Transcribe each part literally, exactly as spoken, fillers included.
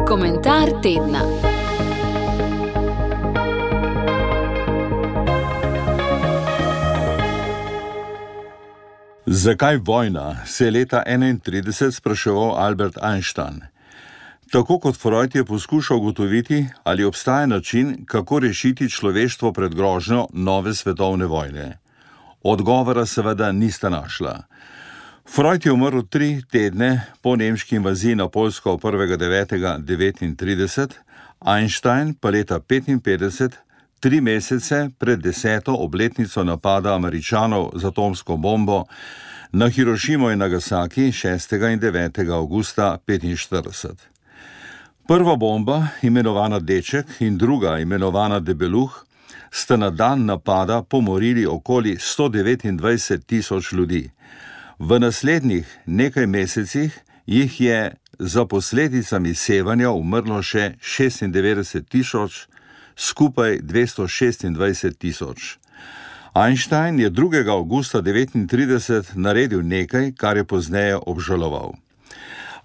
Komentar tedna. Zakaj vojna, se je leta enaintrideset spraševal Albert Einstein. Tako kot Freud je poskušal ugotoviti, ali obstaja način, kako rešiti človeštvo pred grožnjo nove svetovne vojne. Odgovora seveda nista našla. Freud je umrl tri tedne po nemški invaziji na Poljsko prvega devetega devetintrideset, Einstein pa leta petinpetdeset, tri mesece pred deseto obletnico napada Američanov z atomsko bombo na Hirošimo in Nagasaki šestega in devetega avgusta petinštirideset. Prva bomba, imenovana Deček, in druga, imenovana Debeluh, sta na dan napada pomorili okoli sto devetindvajset tisoč ljudi. V naslednjih nekaj mesecih jih je za posledicami sevanja umrlo še šestindevetdeset tisoč, skupaj dvesto šestindvajset tisoč. Einstein je drugega avgusta devetintrideset naredil nekaj, kar je pozneje obžaloval.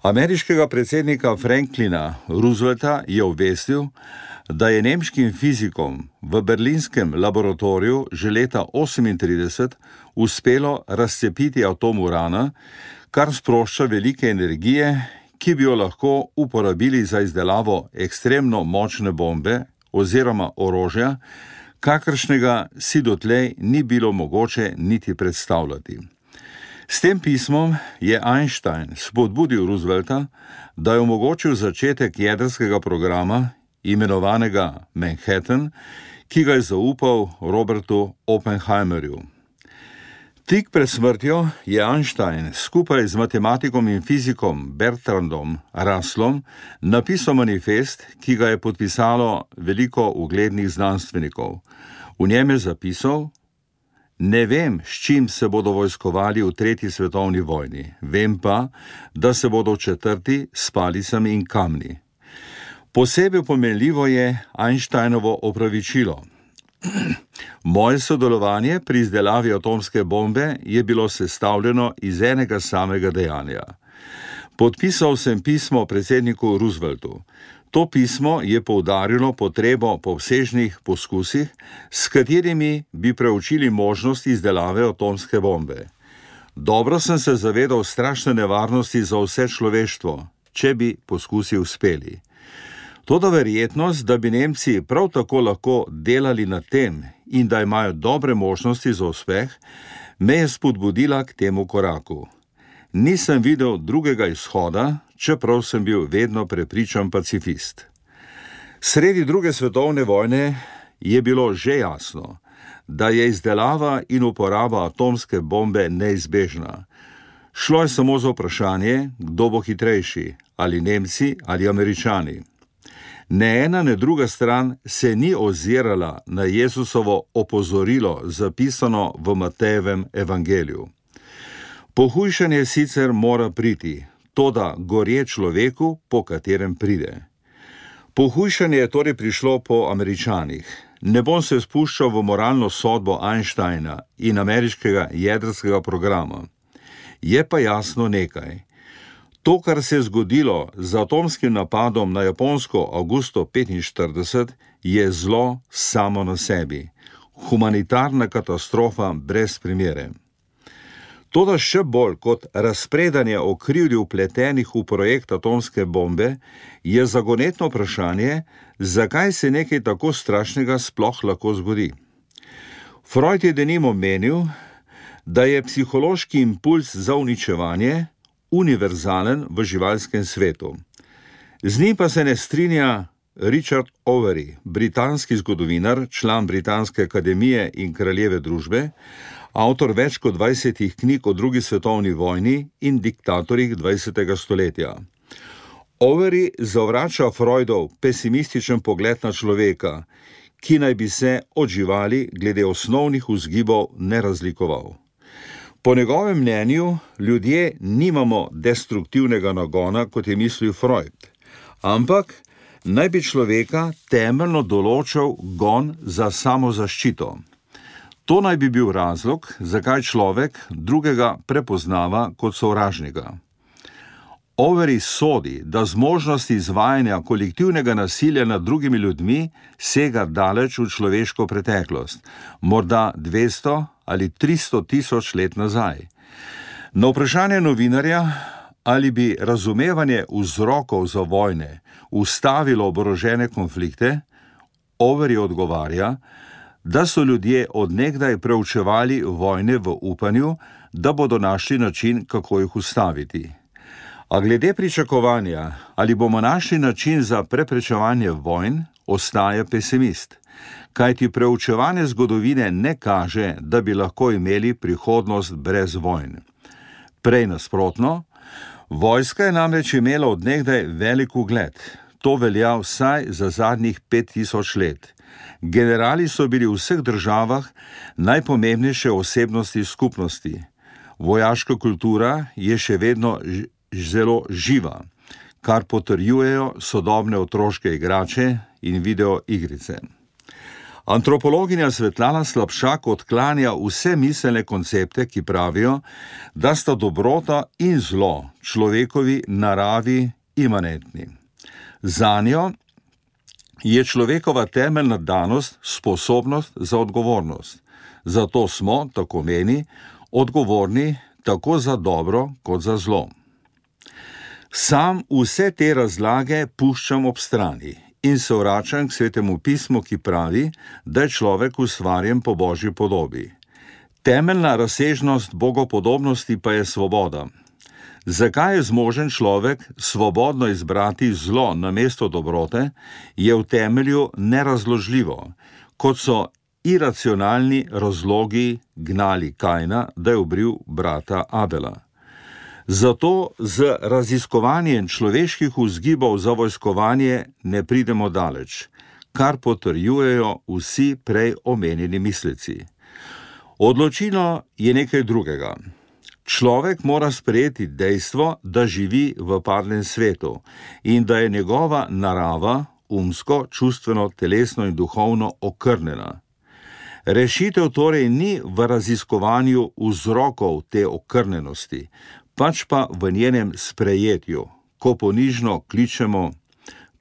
Ameriškega predsednika Franklina Roosevelta je obvestil, da je nemškim fizikom v berlinskem laboratoriju že leta osemintrideset uspelo razcepiti atom urana, kar sprošča velike energije, ki bi jo lahko uporabili za izdelavo ekstremno močne bombe oziroma orožja, kakršnega si dotlej ni bilo mogoče niti predstavljati. S tem pismom je Einstein spodbudil Roosevelta, da je omogočil začetek jedrskega programa, imenovanega Manhattan, ki ga je zaupal Robertu Oppenheimerju. Tik pred smrtjo je Einstein skupaj z matematikom in fizikom Bertrandom Russellom napisal manifest, ki ga je podpisalo veliko uglednih znanstvenikov. V njem je zapisal: Ne vem, s čim se bodo vojskovali v tretji svetovni vojni, vem pa, da se bodo v četrti s palicami in kamni. Posebej pomenljivo je Einsteinovo opravičilo. Moje sodelovanje pri izdelavi atomske bombe je bilo sestavljeno iz enega samega dejanja. Podpisal sem pismo predsedniku Rooseveltu. To pismo je poudarilo potrebo po obsežnih poskusih, s katerimi bi preučili možnost izdelave atomske bombe. Dobro sem se zavedal strašne nevarnosti za vse človeštvo, če bi poskusi uspeli. Toda verjetnost, da bi Nemci prav tako lahko delali na tem in da imajo dobre možnosti za uspeh, me je spodbudila k temu koraku. Nisem videl drugega izhoda, čeprav sem bil vedno prepričan pacifist. Sredi druge svetovne vojne je bilo že jasno, da je izdelava in uporaba atomske bombe neizbežna. Šlo je samo za vprašanje, kdo bo hitrejši, ali Nemci ali Američani. Ne ena, ne druga stran se ni ozirala na Jezusovo opozorilo, zapisano v Matejevem evangeliju. Pohujšanje sicer mora priti, toda gorje človeku, po katerem pride. Pohujšanje je torej prišlo po Američanih. Ne bom se spuščal v moralno sodbo Einsteina in ameriškega jedrskega programa. Je pa jasno nekaj. To, kar se je zgodilo z atomskim napadom na Japonsko avgusta petinštirideset, je zlo samo na sebi. Humanitarna katastrofa brez primere. Toda še bolj kot razpredanje o krivdi vpletenih v projekt atomske bombe je zagonetno vprašanje, zakaj se nekaj tako strašnega sploh lahko zgodi. Freud je denimo menil, da je psihološki impuls za uničevanje univerzalen v živalskem svetu. Z njim pa se ne strinja Richard Overy, britanski zgodovinar, član Britanske akademije in kraljeve družbe, avtor več kot dvajsetih knjig o drugi svetovni vojni in diktatorjih dvajsetega stoletja. Overy zavrača Freudov pesimističen pogled na človeka, ki naj bi se od živali glede osnovnih vzgibov ne razlikoval. Po njegovem mnenju ljudje nimamo destruktivnega nagona, kot je mislil Freud, ampak naj bi človeka temeljno določal gon za samozaščito. To naj bi bil razlog, zakaj človek drugega prepoznava kot sovražnika. Overy sodi, da zmožnost izvajanja kolektivnega nasilja nad drugimi ljudmi sega daleč v človeško preteklost, morda dvesto ali tristo tisoč let nazaj. Na vprašanje novinarja, ali bi razumevanje vzrokov za vojne ustavilo oborožene konflikte, Overy odgovarja, da so ljudje od nekdaj preučevali vojne v upanju, da bodo našli način, kako jih ustaviti. A glede pričakovanja, ali bomo našli način za preprečevanje vojn, ostaja pesimist, kajti preučevanje zgodovine ne kaže, da bi lahko imeli prihodnost brez vojn. Prej nasprotno, vojska je namreč imela od nekdaj velik ugled. To velja vsaj za zadnjih pet tisoč let. Generali so bili v vseh državah najpomembnejše osebnosti skupnosti. Vojaška kultura je še vedno zelo živa, kar potrjujejo sodobne otroške igrače in videoigrice. Antropologinja Svetlana Slapšak odklanja vse miselne koncepte, ki pravijo, da sta dobrota in zlo človekovi naravi imanentni. Zanjo je človekova temeljna danost sposobnost za odgovornost. Zato smo, tako meni, odgovorni tako za dobro kot za zlo. Sam vse te razlage puščam ob strani in se vračam k Svetemu pismu, ki pravi, da je človek ustvarjen po Božji podobi. Temeljna razsežnost bogopodobnosti pa je svoboda. Zakaj je zmožen človek svobodno izbrati zlo namesto dobrote, je v temelju nerazložljivo, kot so iracionalni razlogi gnali Kajna, da je ubil brata Abela. Zato z raziskovanjem človeških vzgibov za vojskovanje ne pridemo daleč, kar potrjujejo vsi prej omenjeni mislici. Odločilo je nekaj drugega. Človek mora sprejeti dejstvo, da živi v padlem svetu in da je njegova narava umsko, čustveno, telesno in duhovno okrnjena. Rešitev torej ni v raziskovanju vzrokov te okrnjenosti, pač pa v njenem sprejetju, ko ponižno kličemo: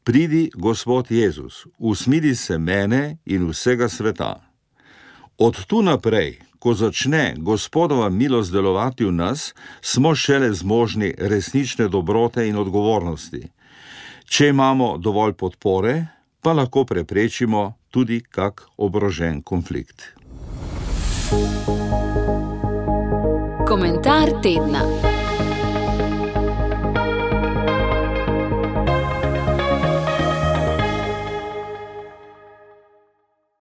pridi, Gospod Jezus, usmili se mene in vsega sveta. Od tu naprej, ko začne Gospodova milost delovati v nas, smo šele zmožni resnične dobrote in odgovornosti. Če imamo dovolj podpore, pa lahko preprečimo tudi kak oborožen konflikt. Komentar tedna.